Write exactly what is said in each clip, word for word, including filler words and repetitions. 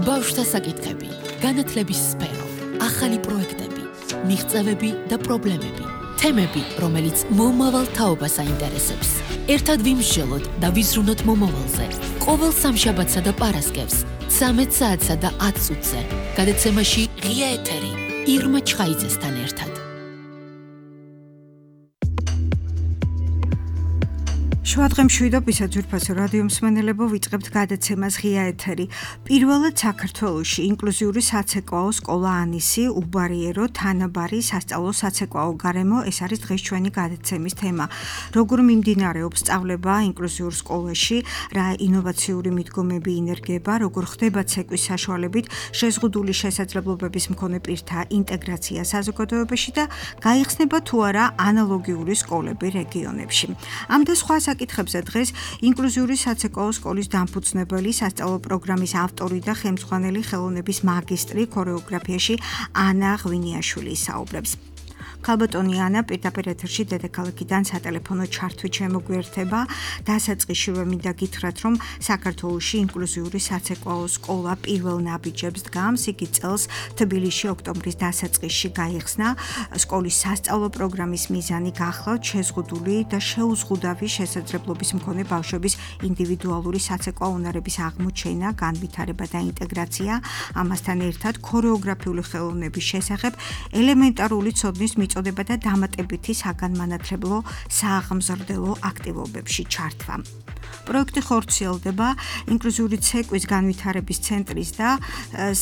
ბავშვთა საკითხები, განათლების სფერო, ახალი პროექტები, მიღწევები და პრობლემები, თემები, რომელიც მომავალ თაობას აინტერესებს. ერთად ვიმსჯელოთ და ვიზრუნოთ მომავალზე. ყოველ სამშაბათსა და პარასკევს, ცამეტ საათსა და ათ წუთზე. გადაცემაში ღია ეთერი, ირმა ჩხაიძესთან ერთად. შუადღე მშვიდობისა ძვირფასო რადიო მსმენელებო, ვიწყებთ გადაცემას ღია ეთერი. პირველად საქართველოში ინკლუზიური საცეკვაო სკოლა ანისი, უბარიერო, თანაბარი სასწავლო საცეკვაო გარემო, ეს არის დღეს ჩვენი გადაცემის თემა. როგორ მიმდინარეობს სწავლება ინკლუზიურ სკოლაში, რა ინოვაციური მიდგომები ინერგება, როგორ ხდება ცეკვის საშუალებით შეზღუდული შესაძლებლობების მქონე პირთა ინტეგრაცია საზოგადოებაში და გაიხსნება თუ არა ანალოგიური სკოლები რეგიონებში. ამ და სხვა საკითხებზე დღეს ინკლუზიური საცეკვაო სკოლის დამფუძნებელი, სასწავლო პროგრამის ავტორი და ხელმძღვანელი ხელოვნების მაგისტრი ქორეოგრაფიაში ანა ღვინიაშვილი საუბრებს. ქალბატონი ანა პირდაპირ ეთერში დედაქალაქიდან სატელეფონო ჩართვით შემოგვიერთება. დასაწყისშივე მინდა გითხრათ, რომ საქართველოში ინკლუზიური საცეკვაო სკოლა პირველ ნაბიჯებს დგამს. იგი წელს თბილისში ოქტომბრის დასაწყისში გაიხსნა. სკოლის სასწავლო პროგრამის მიზანი გახლავთ შეზღუდული და შეუზღუდავი შესაძლებლობის მქონე ბავშვების ინდივიდუალური საცეკვაო უნარების აღმოჩენა, განვითარება და ინტეგრაცია. ამასთან ერთად ქორეოგრაფიული ხელოვნების შესახებ ელემენტარული ცოდნის მიწოდება და დამატებითი საგანმანათლებლო სააღმზრდელო აქტივობებში ჩართვა. პროექტი ხორციელდება ინკლუზიური ცეკვის განვითარების ცენტრის და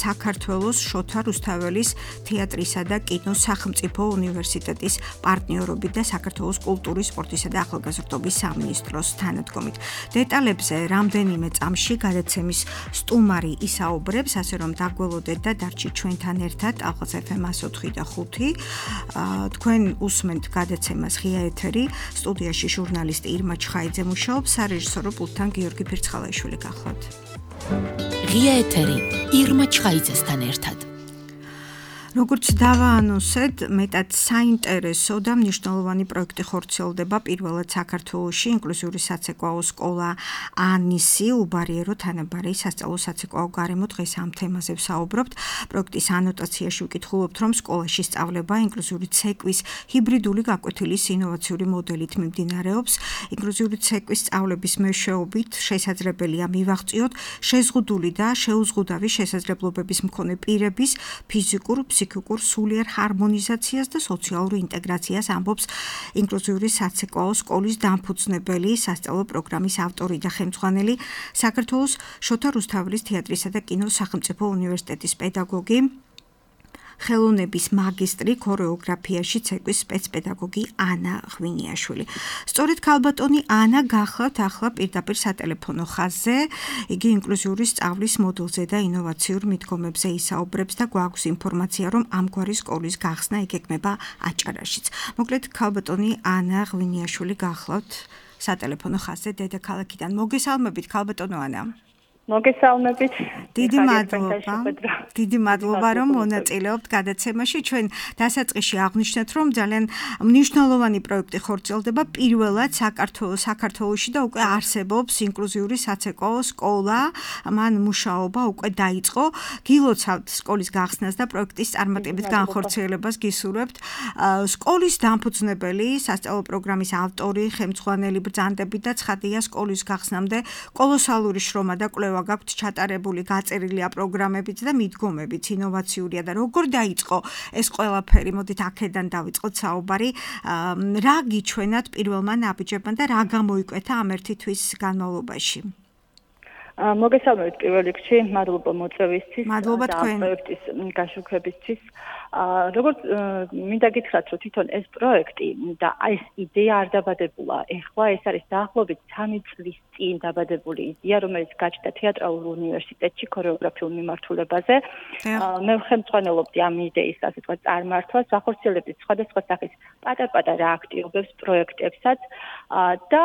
საქართველოს შოთა რუსთაველის თეატრისა და კინოს სახელმწიფო უნივერსიტეტის პარტნიორობით და საქართველოს კულტურის, სპორტისა და ახალგაზრდობის სამინისტროს თანადგომით. დეტალებზე რამდენიმე წამში გადაცემის სტუმარი ისაუბრებს, ასე რომ დაგველოდეთ და დარჩით ჩვენთან ერთად ალყაც ეფ ემ εκατს ოთხი და ხუთი. თქვენ უსმენთ გადაცემას ღია ეთერი, სტუდიაში ჟურნალისტი ირმა ჩხაიძე მუშაობს, სარეჟისორო პულტთან გიორგი ფირცხალაიშვილი გახლავთ. ღია ეთერი, ირმა ჩხაიძესთან ერთად. როგორც დავაანონსეთ, მეტად საინტერესო და მნიშვნელოვანი პროექტი ხორციელდება პირველად საქართველოში ინკლუზიური საცეკვაო სკოლა ანისი, უბარიერო, თანაბარი სასწავლო საცეკვაო გარემო. დღეს ამ თემაზე ვსაუბრობთ. პროექტის ანოტაციაში ვკითხულობთ, რომ სკოლაში სწავლება ინკლუზიური ცეკვის ჰიბრიდული გაკვეთილის ინოვაციური მოდელით მიმდინარეობს. ინკლუზიური ცეკვის სწავლების მეშვეობით შესაძლებელია მივაღწიოთ შეზღუდული და შეუზღუდავი შესაძლებლობების მქონე პირების ფიზიკურ, ფსიქიკურ სულიერ ჰარმონიზაციას და სოციალურ ინტეგრაციას, ამბობს ინკლუზიური საცეკვაო სკოლის დამფუძნებელი, სასწავლო პროგრამის ავტორი და ხელმძღვანელი, საქართველოს შოთა რუსთაველის თეატრისა და კინოს სახელმწიფო უნივერსიტეტის პედაგოგი, ხელოვნების მაგისტრი ქორეოგრაფიაში ცეკვის სპეცპედაგოგი ანა ღვინიაშვილი. სწორედ ქალბატონი ანა გახლავთ ახლა პირდაპირ სატელეფონო ხაზზე. იგი ინკლუზიური სწავლის მოდელზე და ინოვაციურ მიდგომებზე ისაუბრებს და გვაქვს ინფორმაცია, რომ ამგვარი სკოლის გახსნა იგეგმება აჭარაშიც. მოკლედ ქალბატონი ანა ღვინიაშვილი გახლავთ სატელეფონო ხაზზე დედაქალაქიდან. მოგესალმებით ქალბატონო ანა. მოგესალმებით. დიდი მადლობა. დიდი მადლობა, რომ მონაწილეობთ გადაცემაში. ჩვენ დასაწყისში აღვნიშნეთ, რომ ძალიან მნიშვნელოვანი პროექტი ხორციელდება პირველად საქართველოს საქართველოში და უკვე არსებობს ინკლუზიური საცეკვაო სკოლა. მან მუშაობა უკვე დაიწყო. გილოცავთ სკოლის გახსნას და პროექტის წარმატებით განხორციელებას გისურვებთ. სკოლის დამფუძნებელი, სასწავლო პროგრამის ავტორი, ხელმძღვანელი ბრძანდებით და ცხადია სკოლის გახსნამდე კოლოსალური შრომა და კვლევა გაქვთ ჩატარებული, გაწერილია პროგრამებიც და მიდგომებიც, ინოვაციურია და როგორ დაიწყო ეს ყველაფერი, მოდით აქედან დავიწყოთ საუბარი. რა გიჩვენათ პირველმა ნაბიჯებმა და რა გამოიკვეთა ამ ერთი თვის განმავლობაში? მოგესალმებით პირველ რიგში, მადლობა მოწვევისთვის და პროექტის გაშუქებისთვის. როგორც მინდა გითხრათ, რომ თვითონ ეს პროექტი და ეს იდეა არ დაბადებულა ეხლა, ეს არის დაახლოებით სამი წლის წინ დაბადებული იდეა, რომელიც გაჩნდა თეატრალურ უნივერსიტეტში ქორეოგრაფიულ მიმართულებაზე. მე ხელმძღვანელობდი ამ იდეის, ასე ვთქვათ, წარმართვას, ვახორციელებდი სხვადასხვა სახის პატარ-პატარა აქტივობებს, პროექტებსაც და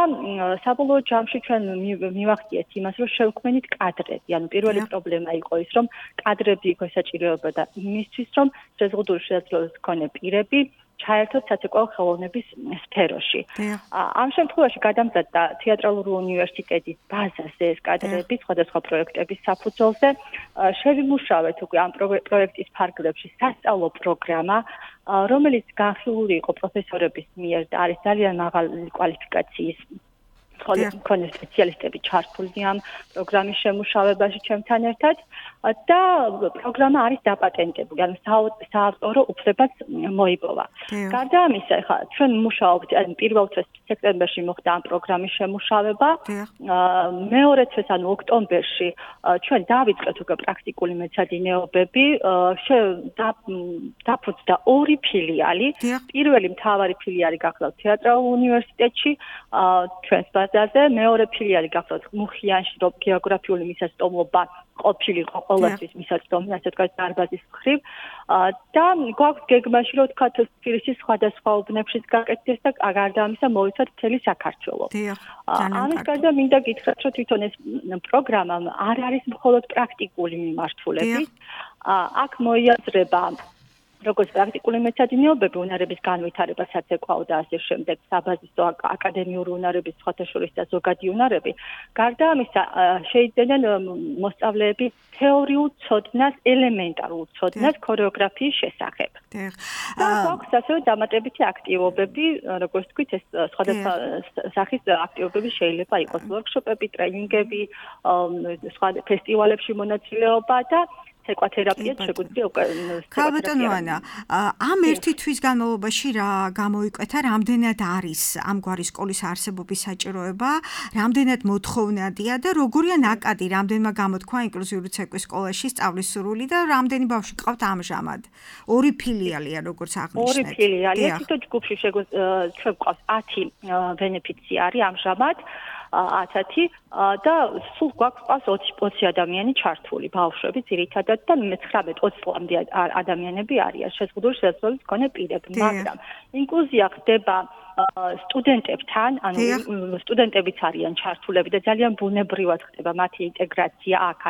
საბოლოო ჯამში ჩვენ მივახციეთ იმას, რომ შევქმნით კადრები. ანუ პირველი პრობლემა იყო ის, რომ კადრები იყო საჭიროებოდა იმისთვის, რომ შეზღუდული შესაძლებლობის მქონე პირები ჩაერთოთ საცეკვაო ხელოვნების სფეროში. ამ შემთხვევაში გადამზადდა თეატრალური უნივერსიტეტის ბაზაზე ეს კადრები სხვადასხვა პროექტების საფუძველზე. შევიმუშავეთ უკვე ამ პროექტის ფარგლებში სასწავლო პროგრამა, რომელიც განხილული იყო პროფესორების მიერ და არის ძალიან მაღალი კვალიფიკაციის მქონე სპეციალისტები ჩართული ამ პროგრამის შემუშავებაში ჩემთან ერთად და პროგრამა არის დაპატენტებული, ანუ საავტორო უფლებაც მოიპოვა. გარდა ამისა, ხა ჩვენ მუშაობთ, ანუ პირველ თვეს სექტემბერში მოხდა ამ პროგრამის შემუშავება. მეორე თვეს, ანუ ოქტომბერში ჩვენ დავიწყეთ უკვე პრაქტიკული მეცადინეობები, დაფუძნდა ორი ფილიალი. პირველი მთავარი ფილიალი გახლავთ თეატრალურ უნივერსიტეტში, ჩვენს ბაზაზე, მეორე ფილიალი გახლავთ მუხიანში, რომ გეოგრაფიული მისაწვდომობა ყოფილიყო ყოველთვის მისაწვდომი, ასე ვთქვათ, დარბაზის მხრივ და გვაქვს გეგმაში, რომ ვთქვათ, თბილისის სხვადასხვა უბნებშიც გაკეთდეს და გარდა ამისა მოვიცვათ მთელი საქართველო. ამის გარდა მინდა გითხრათ, რომ თვითონ ეს პროგრამა არ არის მხოლოდ პრაქტიკული მიმართულებით. აქ მოიაზრება როგორც პრაქტიკული მეცადინეობები, უნარების განვითარება, საცეკვაო და ასე შემდეგ, საბაზისო აკადემიური უნარების სხვათა შორის და ზოგადი უნარები. გარდა ამისა, შეიძენენ მოსწავლეები თეორიულ ცოდნას, ელემენტარულ ცოდნას ქორეოგრაფიის შესახებ. და გვაქვს ასევე დამატებითი აქტივობები, როგორც ვთქვით, ეს სხვადასხვა სახის აქტივობები შეიძლება იყოს ვორქშოპები, ტრენინგები, სხვა ფესტივალებში მონაწილეობა და ეკვათერაპიაც შეგვიძლია უკვე ქალბატონო ანა, ამ ერთი თვის განმავლობაში რა გამოიკვეთა, რამდენად არის ამგვარი სკოლის არსებობის საჭიროება, რამდენად მოთხოვნადია და როგორია ნაკადი, რამდენმა გამოთქვა ინკლუზიური ცეკვის სკოლაში სწავლის სურვილი და რამდენი ბავშვი ყავთ ამჟამად? ორი ფილიალია, როგორც აღნიშნეთ. ორი ფილიალი, თვითონ ჯგუფში შეგვიძლია ჩვენ გვყავს ათი ბენეფიციარი ამჟამად. ათი და სულ გვაქვს ოცი ადამიანი ჩართული, ბავშვები ძირითადად და მეცხრამეტ ოცი წლამდე ადამიანები არიან შეზღუდული შესაძლებლობის მქონე პირები, მაგრამ ინკლუზია ხდება სტუდენტებთან, ანუ სტუდენტებიც არიან ჩართულები და ძალიან ბუნებრივად ხდება მათი ინტეგრაცია აქ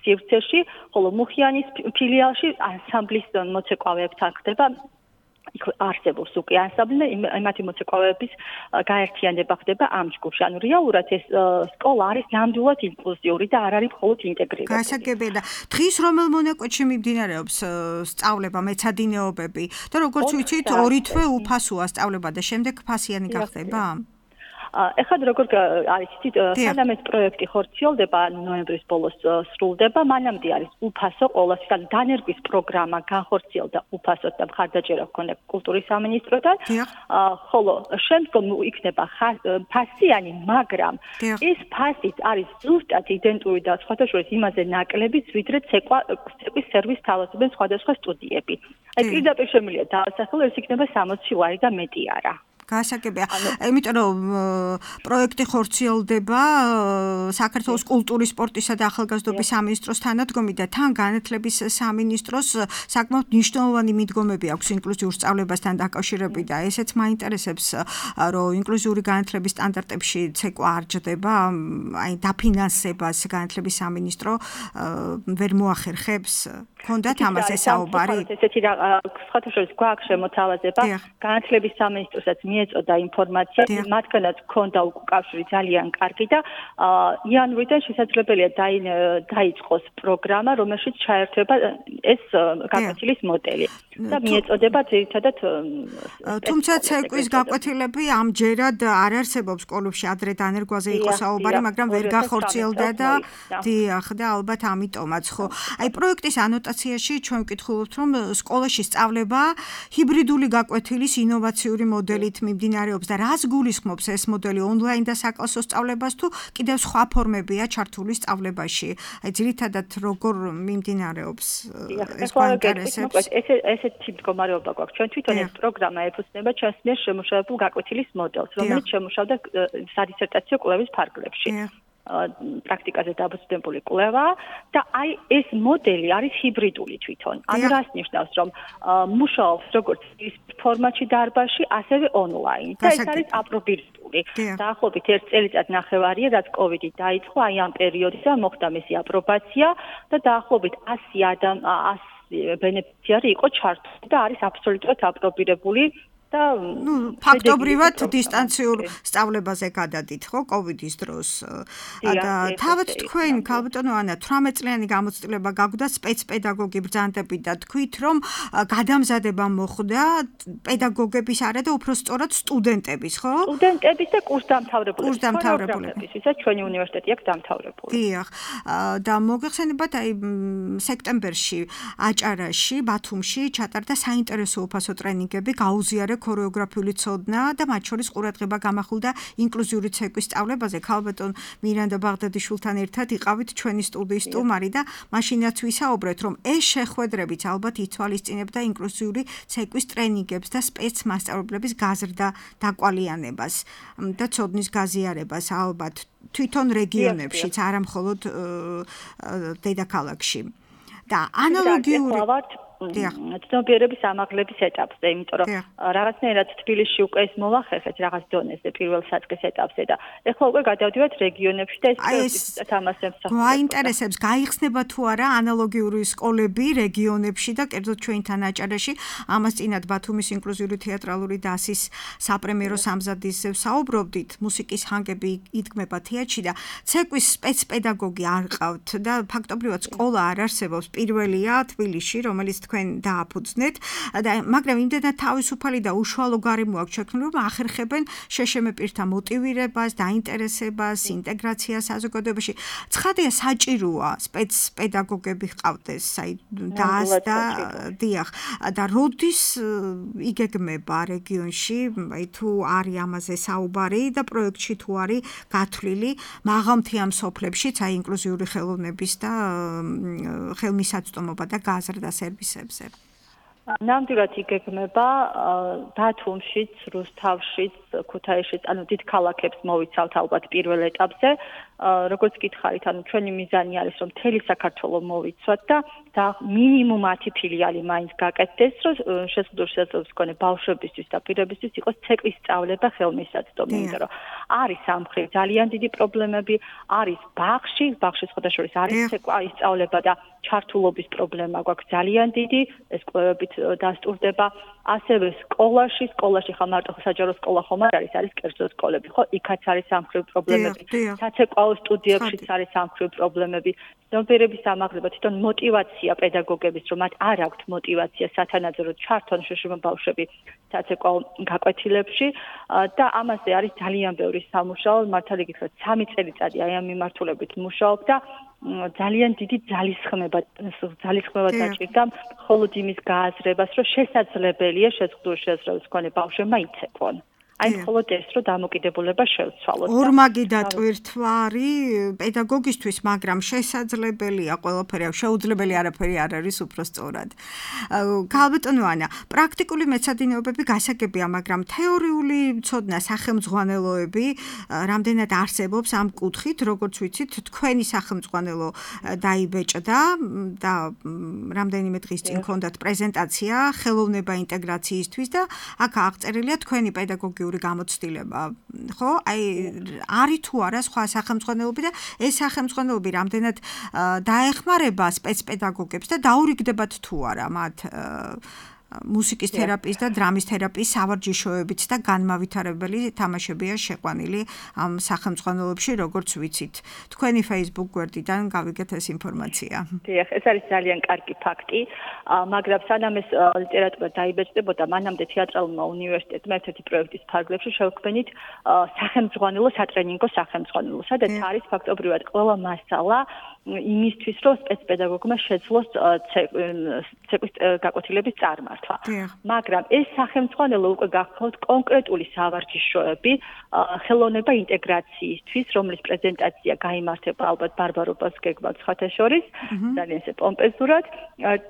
სივრცეში, ხოლო მუხიანის ფილიალში ანსამბლის მოცეკვავეებთან ხდება იქ არსებობს უკვე ანსამბლი და მათი მოცეკვავეების გაერთიანება ხდება ამ ჯგუფში. ანუ რეალურად ეს სკოლა არის ნამდვილად ინკლუზიური და არ არის მხოლოდ ინტეგრირებული. გასაგებია და დღის რომელ მონაკვეთში მიმდინარეობს სწავლება, მეცადინეობები და როგორც ვიცით, ორი თვე უფასოა სწავლება და შემდეგ ფასიანი გახდება? ეხლა როგორ არის იცით, სანამ ეს პროექტი ხორციელდება, ნოემბრის ბოლოს სრულდება, მანამდე არის უფასო ყოველთვის, ანუ დანერგვის პროგრამა განხორციელდა უფასოდ და მხარდაჭერა ჰქონდა კულტურის სამინისტროდან, ხოლო შემდგომ იქნება ფასიანი, მაგრამ ეს ფასიც არის ზუსტად იდენტური და სხვათა შორის იმაზე ნაკლებიც, ვიდრე ცეკვის სერვის თავაზობენ სხვადასხვა სტუდიები. აი პირდაპირ შემიძლია დაასახელო, ეს იქნება სამოცი ლარი და მეტი არა. გასაგებია. იმიტომ რომ პროექტი ხორციელდება საქართველოს კულტურის, სპორტისა და ახალგაზრდობის სამინისტროს თანადგომით და თან განათლების სამინისტროს საკმაოდ მნიშვნელოვანი მიდგომები აქვს ინკლუზიურ სწავლებასთან დაკავშირებით და ესეც მაინტერესებს, რომ ინკლუზიური განათლების სტანდარტებში ცეკვა არ ჯდება, აი დაფინანსებას განათლების სამინისტრო ვერ მოახერხებს. ქონდათ ამაზე საუბარი? ესეთი სხვათა შორის გვაქვს შემოთავაზება განათლების სამინისტროსაც მიეწოდა ინფორმაცია, მათგანაც ქონდა უკავშირი ძალიან კარგი და იანვრიდან შესაძლებელია დაიწყოს პროგრამა, რომელშიც ჩაერთვება ეს გაკვეთილის მოდელი და მიეწოდება ძირითადად თუმცა ცეკვის გაკვეთილები ამჯერად არ არსებობს სკოლებში, ადრე დანერგვაზე იყო საუბარი, მაგრამ ვერ გახორციელდა და დიახ და ალბათ ამიტომაც ხო. აი პროექტის ანოტაციაში ჩვენ ვკითხულობთ, რომ სკოლაში სწავლება ჰიბრიდული გაკვეთილის ინოვაციური მოდელით მიმდინარეობს და რას გულისხმობს ეს მოდელი ონლაინ და საკლასო სწავლებას თუ კიდევ სხვა ფორმებია ჩართული სწავლებაში? აი ძირითადად როგორ მიმდინარეობს ეს გვაინტერესებს? ესეთი მდგომარეობა გვაქვს. ჩვენ თვითონ ეს პროგრამა ეფუძნება ჩვენს მიერ შემუშავებულ გაკვეთილის მოდელს, რომელიც შემუშავდა სადისერტაციო კვლევის ფარგლებში. პრაქტიკაზე დაფუძნებული კვლევა და აი ეს მოდელი არის ჰიბრიდული თვითონ. ანუ რას ნიშნავს, რომ მუშაობს როგორც ის ფორმატში დარბაზში, ასევე ონლაინ. და ეს არის აპრობირებული. დაახლოებით ერთ წელიწად ნახევარია, რაც კოვიდი დაიწყო, აი ამ პერიოდიდან მოხდა მისი აპრობაცია და დაახლოებით ასი ადამიანი ბენეფიციარი იყო ჩართული და არის აბსოლუტურად აპრობირებული და ნუ ფაქტობრივად დისტანციურ სწავლებაზე გადადით ხო კოვიდის დროს და თავად თქვენ ქალბატონო ანა თვრამეტ წლიანი გამოცდილება გაგვდა სპეცპედაგოგი ბრძანდებით და თქვით რომ გადამზადება მოხდა პედაგოგების არა და უფრო სწორად სტუდენტების ხო სტუდენტების და კურსდამთავრებულების კურსდამთავრებულების ვისაც ჩვენი უნივერსიტეტი აქვს დამთავრებული დიახ და მოგეხსენებათ აი სექტემბერში აჭარაში ბათუმში ჩატარდა საინტერესო უფასო ტრენინგები გაუზიარა ქორეოგრაფიული ცოდნა და მათ შორის ყურადღება გამახვილდა ინკლუზიური ცეკვის სწავლებაზე. ქალბატონ მირანდა ბაღდადიშვილთან ერთად იყავით ჩვენი სტუდიის სტუმარი და მაშინაც ვისაუბრეთ, რომ ეს შეხვედრებიც ალბათ ითვალისწინებდა ინკლუზიური ცეკვის ტრენინგებს და სპეცმასწავლებლების გაზრდა დაკვალიანებას და ცოდნის გაზიარებას ალბათ თვითონ რეგიონებშიც, არა მხოლოდ დედაქალაქში. და ანალოგიური ცნობიერების ამაღლების ეტაპზე, იმიტომ რომ რაღაცნაირად თბილისში უკვე ეს მოვახერხეთ რაღაც დონეზე პირველ საწყის ეტაპზე და ეხლა უკვე გადავდივართ რეგიონებში და ეს თამასებს გვაინტერესებს გაიხსნება თუ არა ანალოგიური სკოლები რეგიონებში და კერძოდ ჩვენთან აჭარაში ამას წინათ ბათუმის ინკლუზიური თეატრალური დასის საპრემიერო სამზადისზე საუბრობდით მუსიკის ჰანგები იდგმება თეატრში და ცეკვის სპეცპედაგოგი არ ყავთ და ფაქტობრივად სკოლა არ არსებობს პირველია თბილისში რომელიც თქვენ დააფუძნეთ და მაგრამ იმდენად თავისუფალი და უშუალო გარემო აქვს შექმნილი რომ ახერხებენ შეშემე პირთა მოტივირებას, დაინტერესებას, ინტეგრაციას საზოგადოებაში. ცხადია საჭიროა სპეცპედაგოგები ჰყავდეს, აი დას და დიახ და როდის იგეგმება რეგიონში, აი თუ არის ამაზე საუბარი და პროექტში თუ არის გათვლილი მაღალმთიან სოფლებშიც აი ინკლუზიური ხელოვნების და ხელმისაწვდომობა და გაზრდა სერვისებზე. ნამდვილად იგეგმება ბათუმშიც, რუსთავშიც, ქუთაისშიც, ანუ დიდ ქალაქებს მოვიცავთ ალბათ პირველ ეტაპზე. როგორც გითხარით, ანუ ჩვენი მიზანი არის რომ მთელი საქართველო მოვიცვათ და და მინიმუმ ათი ფილიალი მაინც გაკეთდეს, რომ შეზღუდულ შესაძლებლობის მქონე ბავშვებისთვის და პირებისთვის იყოს ცეკვის სწავლება ხელმისაწვდომი, იმიტომ რომ არის სამხრეთ ძალიან დიდი პრობლემები, არის ბაღში, ბაღში სხვადასხვა არის ცეკვა ისწავლება და ჩართულობის პრობლემა გვაქვს ძალიან დიდი, ეს კვლევებით დასტურდება. ასევე სკოლაში, სკოლაში ხა მარტო საჯარო სკოლა ხომ არ არის, არის კერძო სკოლები, ხო? იქაც არის სამხრივ პრობლემები. საცეკვაო სტუდიებშიც არის სამხრივ პრობლემები. ცნობიერების ამაღლება, თვითონ მოტივაცია პედაგოგების, რომ მათ არ აქვთ მოტივაცია სათანადო ჩართონ შეშმო ბავშვები საცეკვაო გაკვეთილებში და ამაზე არის ძალიან ბევრი სამუშაო, მართალი გითხრათ, სამი წელიწადი აი ამ მიმართულებით მუშაობ და ძალიან დიდი ძალისხმება ძალისხმება დაჭირდა მხოლოდ იმის გააზრებას, რომ შესაძლებელია შეზღუდული შესაძლებლობის მქონე ბავშვებმა იცეკვონ. აი მხოლოდ ეს რომ დამოკიდებულება შევცვალოთ. ორმაგი დატვირთვარი პედაგოგისთვის, მაგრამ შესაძლებელია ყველაფერი, შეუძლებელი არაფერი არ არის უფრო სწორად. ქალბატონო ანა, პრაქტიკული მეცადინეობები გასაგებია, მაგრამ თეორიული ცოდნა, სახელმძღვანელოები რამდენად არსებობს ამ კუთხით, როგორც ვიცით, თქვენი სახელმძღვანელო დაიბეჭდა და რამდენიმე დღის წინ ჰქონდათ პრეზენტაცია ხელოვნება ინტეგრაციისთვის და აქ აღწერილია თქვენი პედაგოგი გამოცდილება, ხო? აი არის თუ არა სხვა სახელმძღვანელოები და ეს სახელმძღვანელოები რამდენად დაეხმარება სპეცპედაგოგებს და დაურიგდებათ თუ არა მათ მუსიკის თერაპიის და დრამის თერაპიის სავარჯიშოებით და განმავითარებელი თამაშებია შეყვანილი ამ სახელმძღვანელოებში, როგორც ვიცით. თქვენი Facebook გვერდიდან გავიგეთ ეს ინფორმაცია. დიახ, ეს არის ძალიან კარგი ფაქტი, მაგრამ სანამ ეს ლიტერატურა დაიბეჭდებოდა, მანამდე თეატრალურმა უნივერსიტეტმა ერთ-ერთი პროექტის ფარგლებში შევქმნით სახელმძღვანელო სატრენინგო სახელმძღვანელო, სადაც არის ფაქტობრივად ყველა მასალა იმისთვის, რომ სპეცპედაგოგმა შეძლოს ცეკვის გაკვეთილების წარმართვა. მაგრამ ეს სახელმძღვანელო უკვე გახსოვთ კონკრეტული სავარჯიშოები ხელოვნება ინტეგრაციისთვის, რომლის პრეზენტაცია გაიმართება ალბათ ბარბარობას გეგმავთ სხვათა შორის, ძალიან ესე პომპეზურად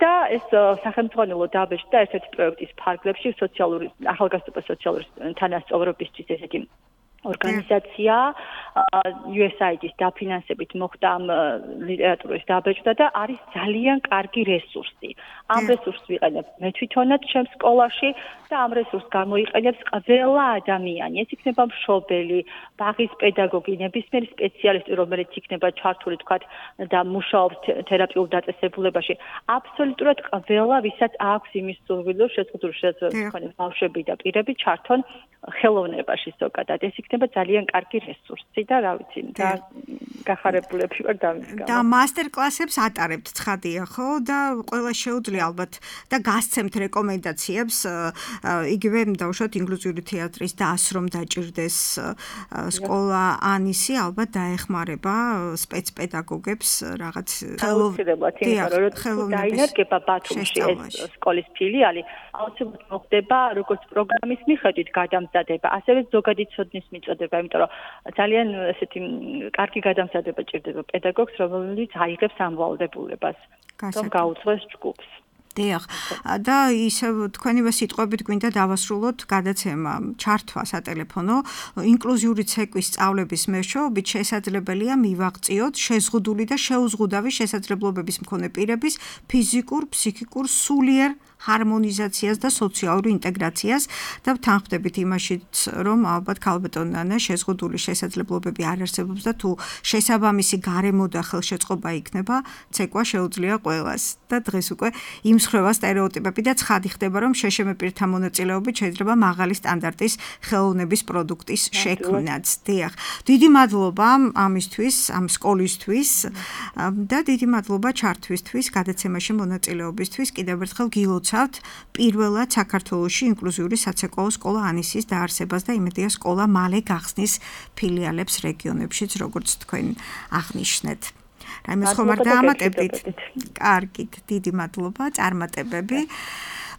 და ეს სახელმძღვანელო დაბეჭდა ერთ-ერთი პროექტის ფარგლებში სოციალური ახალგაზრდობა სოციალური თანასწორობისთვის ესეთი ორგანიზაცია U S A I D-ის დაფინანსებით მოხდა ამ ლიტერატურის დაბეჭდა და არის ძალიან კარგი რესურსი. ამ რესურსს ვიყენებ მე თვითონაც ჩემს სკოლაში და ამ რესურსს გამოიყენებს ყველა ადამიანი. ეს იქნება მშობელი, ბაღის პედაგოგი, ნებისმიერი სპეციალისტი, რომელიც იქნება ჩართული თქვათ და მუშაობს თერაპიულ დაწესებულებაში. აბსოლუტურად ყველა, ვისაც აქვს იმის სურვილი, შეზღუდული შეძლებლობები, ბავშვები და პირები ჩართონ ხელოვნებაში ზოგადად. ეს იქნება ძალიან კარგი რესურსი და რა ვიცი, და გახარებულები ვარ დამის გამო. და მასტერ-კლასებს ატარებთ ცხადია, ხო? და ყველა შეუძლია ალბათ და გასცემთ რეკომენდაციებს იგივე დავუშვათ ინკლუზიური თეატრის დასრომ დაჭირდეს სკოლა ანისი ალბათ დაეხმარება სპეცპედაგოგებს რაღაც ხელოვნების დაინერგება ბათუმში ეს სკოლის ფილიალი აუცილებლად მოხდება როგორც პროგრამის მიხედვით გადამზადება, ასევე ზოგადი ცოდნის მიწოდება, იმიტომ რომ ძალიან ესეთი კარგი გადამზადება ჭირდება პედაგოგს, რომელიც აიღებს ამ ვალდებულებას, რომ გაუძღვეს ჯგუფს. დიახ. და ისე თქვენივე სიტყვებით გვინდა დავასრულოთ გადაცემა ჩართვა სატელეფონო ინკლუზიური ცეკვის სწავლების მეშვეობით შესაძლებელია მივაღწიოთ შეზღუდული და შეუზღუდავი შესაძლებლობების მქონე პირების ფიზიკურ, ფსიქიკურ, სულიერ ჰარმონიზაციას და სოციალურ ინტეგრაციას და ვთანხმდებით იმაშიც, რომ ალბათ ქალბატონ ნანა შეზღუდული შესაძლებლობები არ არსებობს და თუ შესაბამისი გარემო და ხელშეწყობა იქნება, ცეკვა შეუძლია ყველას. და დღეს უკვე იმსხვრევა სტერეოტიპები და ცხადი ხდება, რომ შეშემე პირთა მონაწილეობით შეიძლება მაღალი სტანდარტის ხელოვნების პროდუქტის შექმნაც. დიახ. დიდი მადლობა ამისთვის, ამ სკოლისთვის და დიდი მადლობა ჩართვისთვის, გადაცემაში მონაწილეობისთვის. კიდევ ერთხელ გილოცავთ პირველად საქართველოში ინკლუზიური საცეკვაო სკოლა ანისის დაარსებას და იმედია სკოლა მალე გახსნის ფილიალებს რეგიონებშიც, როგორც თქვენ აღნიშნეთ. რაიმე ხომ არ დაამატებდით? კარგით, დიდი მადლობა, წარმატებები.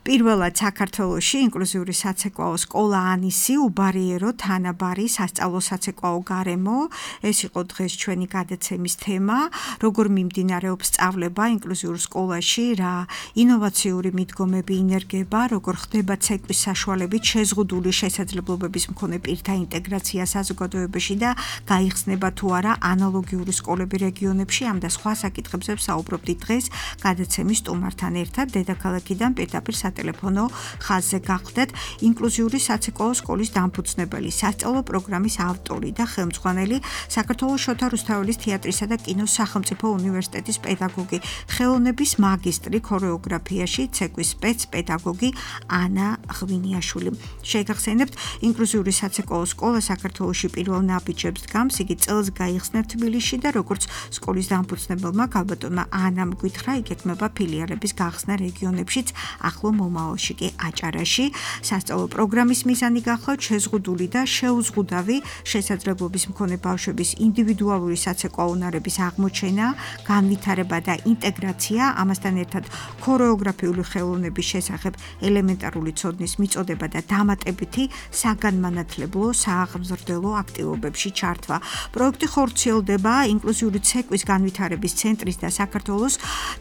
პირველად საქართველოში ინკლუზიური საცეკვაო სკოლა ანისი უბარიერო თანაბარი სასწავლო საცეკვაო გარემო. ეს იყო დღეს ჩვენი გადაცემის თემა, როგორ მიმდინარეობს სწავლება ინკლუზიურ სკოლაში, რა ინოვაციური მიდგომები ინერგება, როგორ ხდება ცეკვის საშუალებით შეზღუდული შესაძლებლობების მქონე პირთა ინტეგრაცია საზოგადოებაში და გაიხსნება თუ არა ანალოგიური სკოლები რეგიონებში. ამ და სხვა საკითხებზე ვსაუბრობდით დღეს გადაცემის სტუმართან ერთად დედაქალაქიდან პირდაპირ სატელეფონო ხაზზე გახვდეთ ინკლუზიური საცეკვაო სკოლის დამფუძნებელი, სასწავლო პროგრამის ავტორი და ხელმძღვანელი საქართველოს შოთა რუსთაველის თეატრისა და კინოს სახელმწიფო უნივერსიტეტის პედაგოგი, ხელოვნების მაგისტრი ქორეოგრაფიაში, ცეკვის სპეცპედაგოგი ანა ღვინიაშვილი. შეგახსენებთ, ინკლუზიური საცეკვაო სკოლა საქართველოში პირველ ნაბიჯებს დგამს, იგი წელს გაიხსნა თბილისში და როგორც სკოლის დამფუძნებელმა ქალბატონმა ანამ გითხრა, იგეგმება ფილიალების გახსნა რეგიონებშიც, ახლო მომავალში კი აჭარაში. სასწავლო პროგრამის მიზანი გახლავთ შეზღუდული და შეუზღუდავი შესაძლებლობის მქონე ბავშვების ინდივიდუალური საცეკვაო უნარების აღმოჩენა, განვითარება და ინტეგრაცია, ამასთან ერთად ქორეოგრაფიული ხელოვნების შესახებ ელემენტარული ცოდნის მიწოდება და დამატებითი საგანმანათლებლო სააღმზრდელო აქტივობებში ჩართვა. პროექტი ხორციელდება ინკლუზიური ცეკვის განვითარების ცენტრის და საქართველოს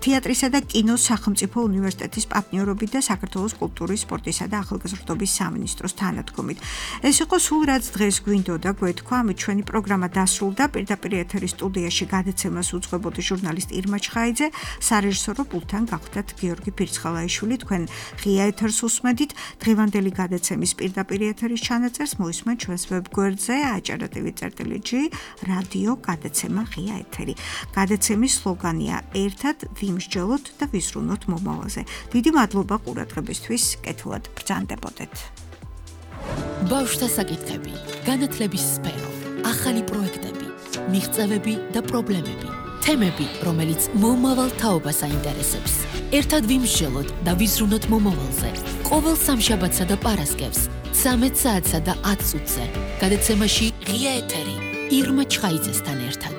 თეატრისა და კინოს სახელმწიფო უნივერსიტეტის პარტნიორობით და საქართველოს კულტურის, სპორტისა და ახალგაზრდობის სამინისტროს თანადგომით. ეს იყო სულ რაც დღეს გვინდოდა გვეთქვა, ამით ჩვენი პროგრამა დასრულდა. პირდაპირ ეთერის სტუდიაში გადაცემას უძღვებოდი ჟურნალისტ ირმა ჩხაიძე, სარეჟისორო პულტთან გახვდათ გიორგი ფირცხალაიშვილი. თქვენ ღია ეთერს უსმედით. დღევანდელი გადაცემის პირდაპირ ეთერის ჩანაწერს მოისმენთ ჩვენს ვებგვერდზე აჭარა ტივი წერტილი ჯი რადიო გადაცემა ღია ეთერი. გადაცემის სლოგანია ერთად ვიმსჯელოთ და ვიზრუნოთ მომავალზე. დიდი მადლობა ყურადღებისთვის, კეთილად ბრძანდებოდეთ. ბავშვთა საკითხები, განათლების სფერო, ახალი პროექტები, მიღწევები და პრობლემები, თემები, რომელიც მომავალ თაობას აინტერესებს. ერთად ვიმსჯელოთ და ვიზრუნოთ მომავალზე. ყოველ სამშაბათსა და პარასკევს, ცამეტ საათსა და ათ წუთზე. გადაცემაში ღია ეთერი ირმა ჩხაიძესთან ერთად.